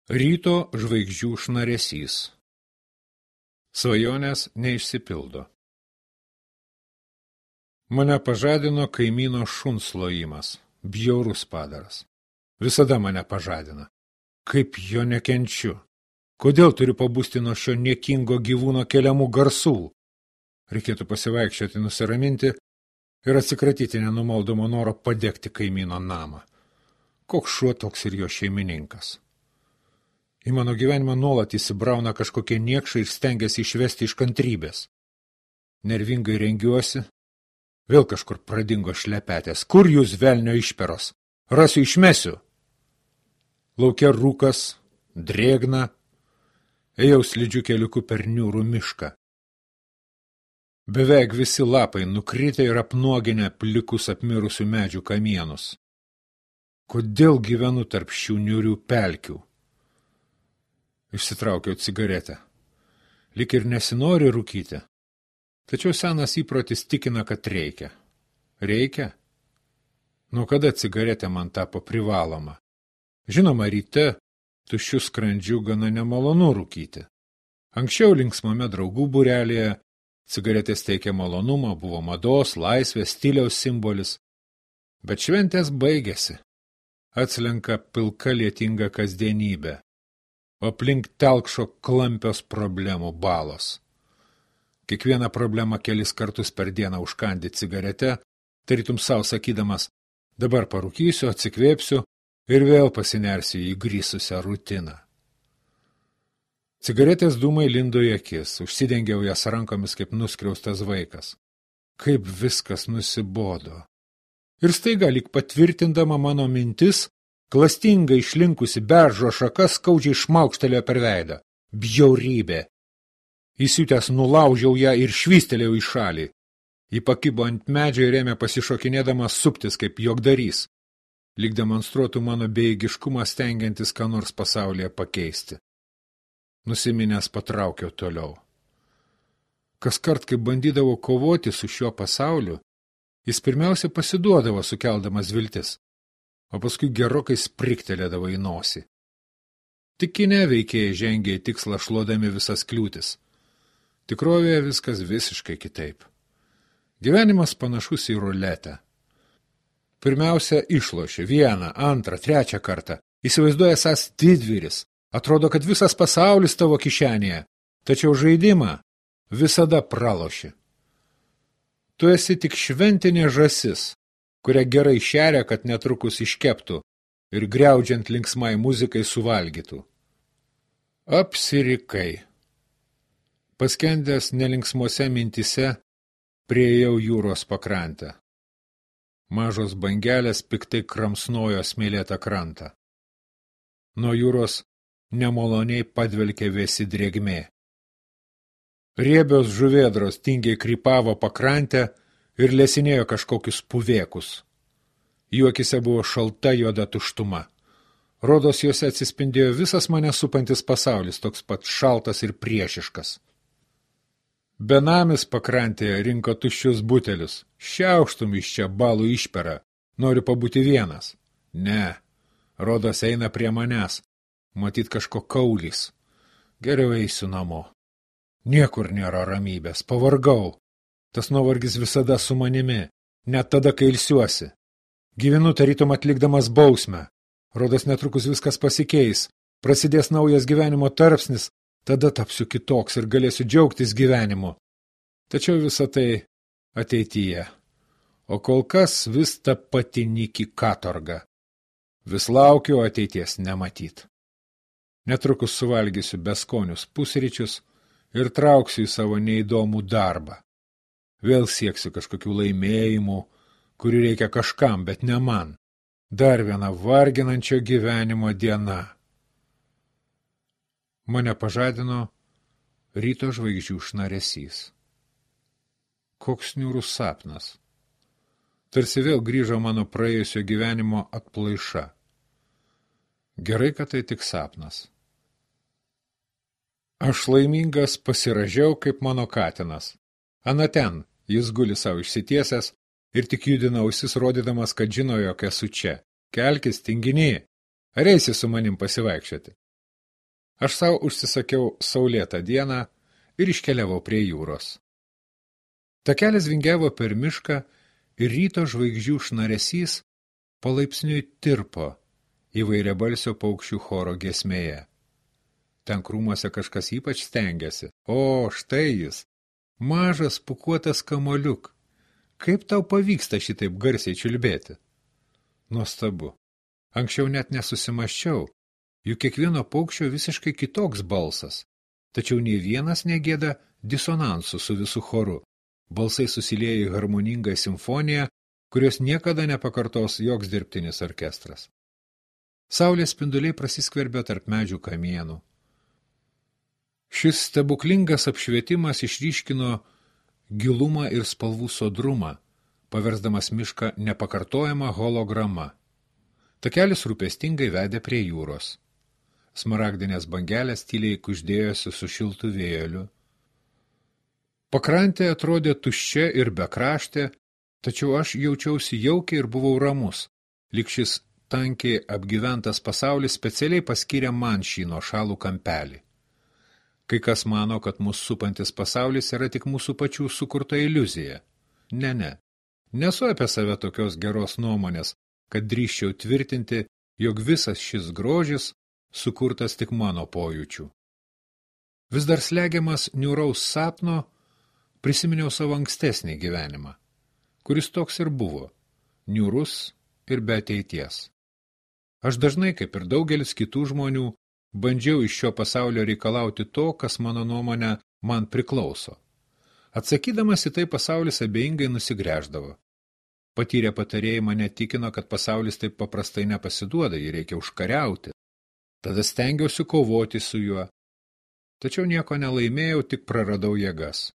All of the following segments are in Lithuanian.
Ryto žvaigždžių šnaresys. Svajonės neišsipildo. Mane pažadino kaimyno šuns lojimas, bjaurus padaras. Visada mane pažadina. Kaip jo nekenčiu. Kodėl turiu pabusti nuo šio niekingo gyvūno keliamų garsų? Reikėtų pasivaikščioti, nusiraminti ir atsikratyti nenumaldomo noro padegti kaimyno namą. Koks šuo toks ir jo šeimininkas. Į mano gyvenimą nuolat įsibrauna kažkokie niekšai ir stengiasi išvesti iš kantrybės. Nervingai rengiuosi. Vėl kažkur pradingo šlepetės. Kur jūs, velnio išperos? Rasiu, išmesiu. Lauke rūkas, drėgna. Ėjau slidžiu keliuku per niūrų mišką. Beveik visi lapai nukritę ir apnuoginę plikus apmirusių medžių kamienus. Kodėl gyvenu tarp šių niūrių pelkių? Išsitraukiau cigaretę. Lik ir nesinori rūkyti. Tačiau senas įprotis tikina, kad reikia. Reikia? Nuo kada cigaretė man tapo privaloma? Žinoma, ryte tuščiu skrandžiu gana nemalonu rūkyti. Anksčiau linksmame draugų būrelėje cigaretės teikė malonumą, buvo mados, laisvės, stiliaus simbolis. Bet šventės baigėsi. Atslenka pilka lietinga kasdienybė. O aplink telkšo klampios problemų balos. Kiekvieną problemą kelis kartus per dieną užkandi cigarete, tarytum savo sakydamas, dabar parūkysiu, atsikvėpsiu ir vėl pasinersiu į grįsusią rutiną. Cigaretės dūmai lindo į akis, užsidengiau jas rankomis kaip nuskriaustas vaikas. Kaip viskas nusibodo. Ir staiga lyg patvirtindama mano mintis, klastingai išlinkusi beržo šaka skaudžiai šmaukštelėjo per veidą. Bjaurybė. Įsiutęs nulaužiau ją ir švystelėjau į šalį. Ji pakibo ant medžio ir ėmė pasišokinėdamas suptis kaip juokdarys, lyg demonstruotų mano bejėgiškumą stengiantis ką nors pasaulyje pakeisti. Nusiminęs patraukiau toliau. Kaskart, kai bandydavau kovoti su šiuo pasauliu, jis pirmiausia pasiduodavo sukeldamas viltis, o paskui gerokai spriktelėdavo į nosį. Tik kine veikėjai žengė į tikslą šluodami visas kliūtis. Tikrovėje viskas visiškai kitaip. Gyvenimas panašus į ruletę. Pirmiausia, išloši vieną, antrą, trečią kartą. Įsivaizduoja esąs didvyris. Atrodo, kad visas pasaulis tavo kišenėje. Tačiau žaidimą visada praloši. Tu esi tik šventinė žąsis, kurią gerai šeria, kad netrukus iškeptų ir griaudžiant linksmai muzikai suvalgytų. Apsirikai. Paskendęs nelinksmose mintise, priėjau jūros pakrantę. Mažos bangelės piktai kramsnojo smėlėtą krantą. Nuo jūros nemaloniai padvelkė vėsi drėgmė. Riebios žuvėdros tingiai krypavo pakrantę ir lesinėjo kažkokius puvėkus. Jų akise buvo šalta juoda tuštuma. Rodos juose atsispindėjo visas mane supantis pasaulis, toks pat šaltas ir priešiškas. Benamis pakrantėje rinko tuščius butelius. Šiauštum iš čia balų išperą. Noriu pabūti vienas. Ne, rodos eina prie manęs. Matyt kažko kaulys. Geriau eisiu namo. Niekur nėra ramybės. Pavargau. Tas nuovargis visada su manimi. Net tada, kai ilsiuosi. Gyvenu tarytum atlikdamas bausmę. Rodos netrukus viskas pasikeis. Prasidės naujas gyvenimo tarpsnis. Tada tapsiu kitoks ir galėsiu džiaugtis gyvenimu. Tačiau visa tai ateityje. O kol kas vis ta pati nyki katorga. Vis laukiu ateities nematyt. Netrukus suvalgysiu beskonius pusryčius ir trauksiu į savo neįdomų darbą. Vėl sieksiu kažkokių laimėjimų, kurių reikia kažkam, bet ne man. Dar viena varginančio gyvenimo diena. Mane pažadino ryto žvaigždžių šnaresys. Koks niūrus sapnas. Tarsi vėl grįžo mano praėjusio gyvenimo atplaiša. Gerai, kad tai tik sapnas. Aš laimingas pasiražiau kaip mano katinas. Ana ten, jis guli savo išsitiesęs ir tik judina ausis rodydamas, kad žino, jog esu čia. Kelkis, tinginy. Ar eisi su manim pasivaikščioti? Aš savo užsisakiau saulėtą dieną ir iškeliavau prie jūros. Takelis vingiavo per mišką ir ryto žvaigždžių šnaresys palaipsniui tirpo įvairiabalsio paukščių choro giesmėje. Ten krūmuose kažkas ypač stengiasi. O, štai jis, mažas pūkuotas kamoliuk. Kaip tau pavyksta šitaip garsiai čiulbėti? Nuostabu. Anksčiau net nesusimaščiau, juk kiekvieno paukščio visiškai kitoks balsas, tačiau nei vienas negėda disonansu su visu choru. Balsai susilieja į harmoningą simfoniją, kurios niekada nepakartos joks dirbtinis orkestras. Saulės spinduliai prasiskverbė tarp medžių kamienų. Šis stebuklingas apšvietimas išryškino gilumą ir spalvų sodrumą, paversdamas mišką nepakartojama holograma. Takelis rūpestingai vedė prie jūros. Smaragdinės bangelės tyliai kuždėjosi su šiltu vėjeliu. Pakrantė atrodė tuščia ir bekraštė, tačiau aš jaučiausi jaukiai ir buvau ramus, lyg šis tankiai apgyventas pasaulis specialiai paskyrė man šį nuošalų kampelį. Kai kas mano, kad mūsų supantis pasaulis yra tik mūsų pačių sukurta iliuzija. Ne. Nesu apie save tokios geros nuomonės, kad drįsčiau tvirtinti, jog visas šis grožis sukurtas tik mano pojūčių. Vis dar slegiamas niūraus sapno, prisiminiau savo ankstesnį gyvenimą, kuris toks ir buvo, niūrus ir be ateities. Aš dažnai, kaip ir daugelis kitų žmonių, bandžiau iš šio pasaulio reikalauti to, kas mano nuomonė man priklauso. Atsakydamas į tai pasaulis abejingai nusigręždavo. Patyrę patarėjai mane tikino, kad pasaulis taip paprastai nepasiduoda, jį reikia užkariauti. Tada stengiausi kovoti su juo. Tačiau nieko nelaimėjau, tik praradau jėgas.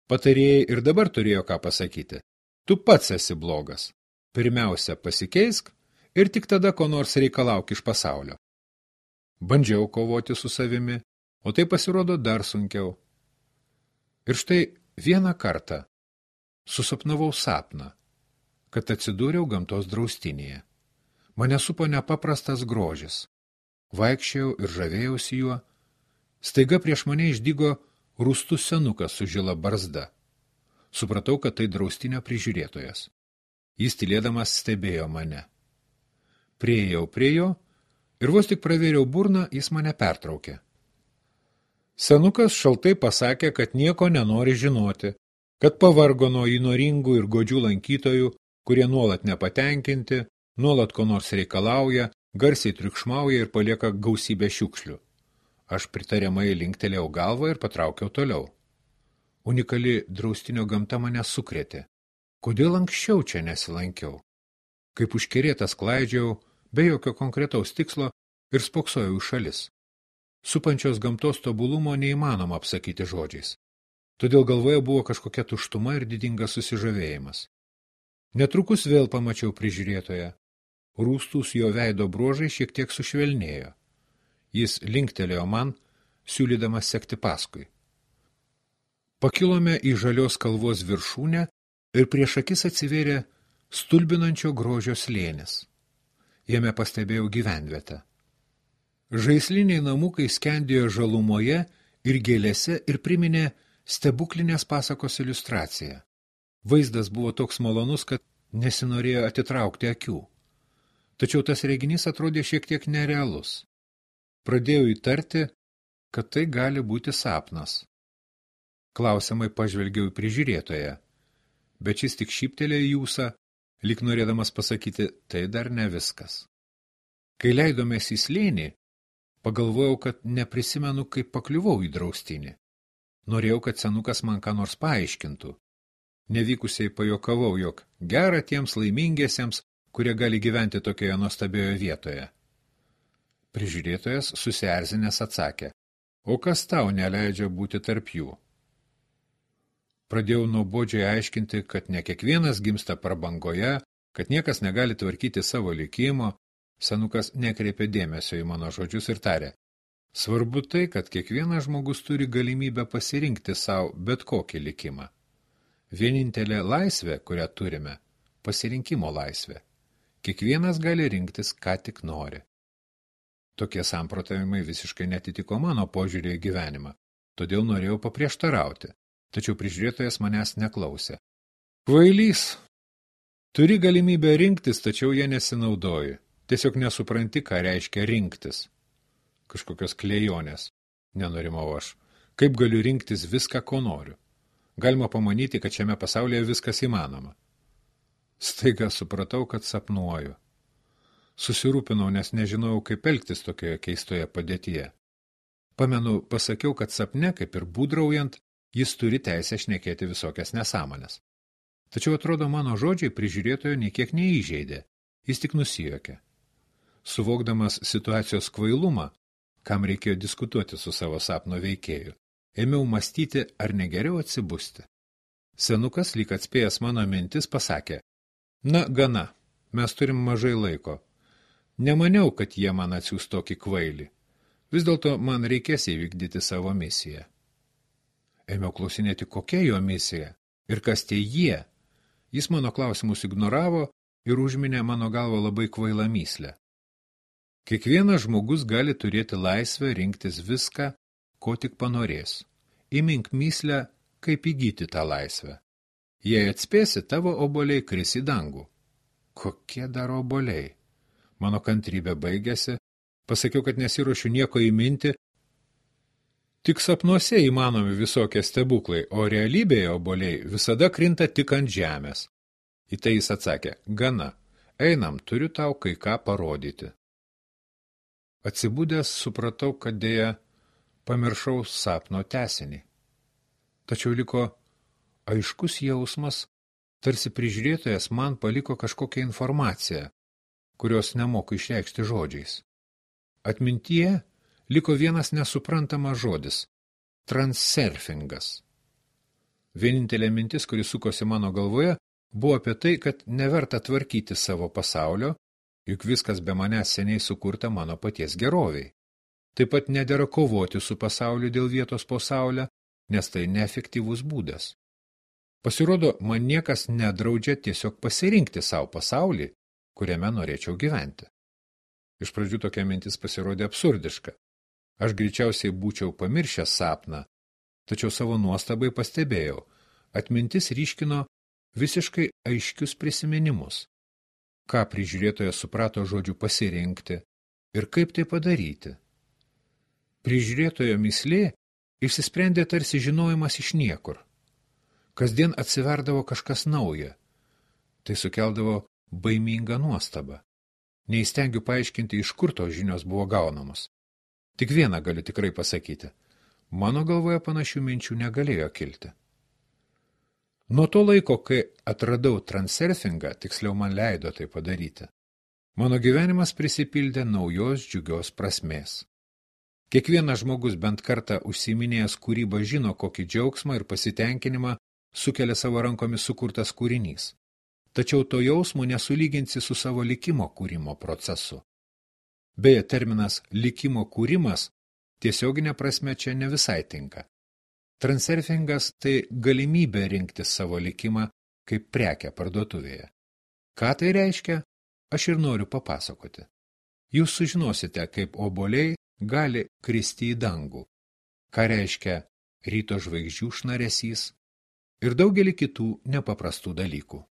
Patarėjai ir dabar turėjo ką pasakyti. Tu pats esi blogas. Pirmiausia, pasikeisk ir tik tada ko nors reikalauk iš pasaulio. Bandžiau kovoti su savimi, o tai pasirodo dar sunkiau. Ir štai vieną kartą susapnavau sapną, kad atsidūriau gamtos draustinėje. Mane supo nepaprastas grožis. Vaikščiojau ir žavėjausi juo. Staiga prieš mane išdygo rūstus senukas su žila barzda. Supratau, kad tai draustinio prižiūrėtojas. Jis tylėdamas stebėjo mane. Priėjau prie jo ir vos tik pravėriau burną, jis mane pertraukė. Senukas šaltai pasakė, kad nieko nenori žinoti, kad pavargo nuo įnoringų ir godžių lankytojų, kurie nuolat nepatenkinti, nuolat ko nors reikalauja, garsiai triukšmauja ir palieka gausybę šiukšlių. Aš pritariamai linktelėjau galvą ir patraukiau toliau. Unikali draustinio gamta mane sukrėtė. Kodėl anksčiau čia nesilankiau? Kaip užkerėtas klaidžiau, be jokio konkretaus tikslo ir spoksojau į šalis. Supančios gamtos tobulumo neįmanoma apsakyti žodžiais. Todėl galvoje buvo kažkokia tuštuma ir didingas susižavėjimas. Netrukus vėl pamačiau prižiūrėtoją. Rūstūs jo veido bruožai šiek tiek sušvelnėjo. Jis linktelėjo man, siūlydamas sekti paskui. Pakilome į žalios kalvos viršūnę ir prieš akis atsivėrė stulbinančio grožio slėnis. Jame pastebėjau gyvenvietę. Žaisliniai namukai skendėjo žalumoje ir gėlėse ir priminė stebuklinės pasakos iliustraciją. Vaizdas buvo toks malonus, kad nesinorėjo atitraukti akių. Tačiau tas reginys atrodė šiek tiek nerealus. Pradėjau įtarti, kad tai gali būti sapnas. Klausiamai pažvelgiau į prižiūrėtoją, bet šis tik šyptelėjo į ūsą, lyg norėdamas pasakyti, tai dar ne viskas. Kai leidomės į slėnį, pagalvojau, kad neprisimenu, kaip pakliuvau į draustinį. Norėjau, kad senukas man ką nors paaiškintų. Nevykusiai pajokavau, jog gera tiems laimingiesiems, kurie gali gyventi tokioje nuostabioje vietoje. Prižiūrėtojas susierzinęs atsakė, o kas tau neleidžia būti tarp jų? Pradėjau nuobodžiai aiškinti, kad ne kiekvienas gimsta prabangoje, kad niekas negali tvarkyti savo likimo. Senukas nekreipė dėmesio į mano žodžius ir tarė, svarbu tai, kad kiekvienas žmogus turi galimybę pasirinkti savo bet kokį likimą. Vienintelė laisvė, kurią turime, pasirinkimo laisvė. Kiekvienas gali rinktis, ką tik nori. Tokie samprotavimai visiškai netitiko mano požiūrį į gyvenimą, todėl norėjau paprieštarauti, tačiau prižiūrėtojas manęs neklausė. Kvailys! Turi galimybę rinktis, tačiau jie nesinaudoji. Tiesiog nesupranti, ką reiškia rinktis. Kažkokios klejonės, nenurimau aš. Kaip galiu rinktis viską, ko noriu? Galima pamanyti, kad šiame pasaulyje viskas įmanoma. Staiga supratau, kad sapnuoju. Susirūpinau, nes nežinojau, kaip elgtis tokioje keistoje padėtyje. Pamenu, pasakiau, kad sapne, kaip ir būdraujant, jis turi teisę šnekėti visokias nesąmonės. Tačiau atrodo, mano žodžiai prižiūrėtojo nei kiek neįžeidė, jis tik nusijuokė. Suvokdamas situacijos kvailumą, kam reikėjo diskutuoti su savo sapno veikėju, ėmiau mąstyti, ar negeriau atsibusti. Senukas, lyg atspėjęs mano mintis, pasakė, na, gana, mes turim mažai laiko. Nemaniau, kad jie man atsiųs tokį kvailį. Vis dėlto man reikės įvykdyti savo misiją. Ėmiau klausinėti, kokia jo misija ir kas tie jie. Jis mano klausimus ignoravo ir užminė mano galvą labai kvailą myslę. Kiekvienas žmogus gali turėti laisvę rinktis viską, ko tik panorės. Įmink myslę, kaip įgyti tą laisvę. Jei atspėsi, tavo obuoliai kris į dangų. Kokie dar obuoliai? Mano kantrybė baigėsi, pasakiau, kad nesiruošiu nieko įminti. Tik sapnuose įmanomi visokie stebuklai, o realybėje obuoliai visada krinta tik ant žemės. Į tai jis atsakė, gana, einam, turiu tau kai ką parodyti. Atsibudęs supratau, kad dėja pamiršau sapno tęsinį. Tačiau liko aiškus jausmas, tarsi prižiūrėtojas man paliko kažkokią informaciją, kurios nemoku išreikšti žodžiais. Atmintyje liko vienas nesuprantamas žodis – transurfingas. Vienintelė mintis, kuri sukosi mano galvoje, buvo apie tai, kad neverta tvarkyti savo pasaulio, juk viskas be manęs seniai sukurta mano paties geroviai. Taip pat nedera kovoti su pasauliu dėl vietos po saulę, nes tai neefektyvus būdas. Pasirodo, man niekas nedraudžia tiesiog pasirinkti savo pasaulį, kuriame norėčiau gyventi. Iš pradžių tokia mintis pasirodė absurdiška. Aš greičiausiai būčiau pamiršęs sapną, tačiau savo nuostabai pastebėjau, atmintis ryškino visiškai aiškius prisiminimus. Ką prižiūrėtojas suprato žodžiu pasirinkti ir kaip tai padaryti. Prižiūrėtojo myslė išsisprendė tarsi žinojimas iš niekur. Kasdien atsiverdavo kažkas nauja. Tai sukeldavo baimingą nuostabą. Neįstengiu paaiškinti, iš kur tos žinios buvo gaunamos. Tik vieną galiu tikrai pasakyti. Mano galvoje panašių minčių negalėjo kilti. Nuo to laiko, kai atradau transurfingą, tiksliau man leido tai padaryti, mano gyvenimas prisipildė naujos džiugios prasmės. Kiekvienas žmogus bent kartą užsiiminėjęs kūrybą žino, kokį džiaugsmą ir pasitenkinimą sukelia savo rankomis sukurtas kūrinys. Tačiau to jausmo nesulyginsi su savo likimo kūrimo procesu. Beje, terminas likimo kūrimas tiesioginė prasme čia ne visai tinka. Transurfingas tai galimybė rinkti savo likimą kaip prekę parduotuvėje. Ką tai reiškia, aš ir noriu papasakoti. Jūs sužinosite, kaip obuoliai gali kristi į dangų, ką reiškia ryto žvaigždžių šnaresys ir daugelį kitų nepaprastų dalykų.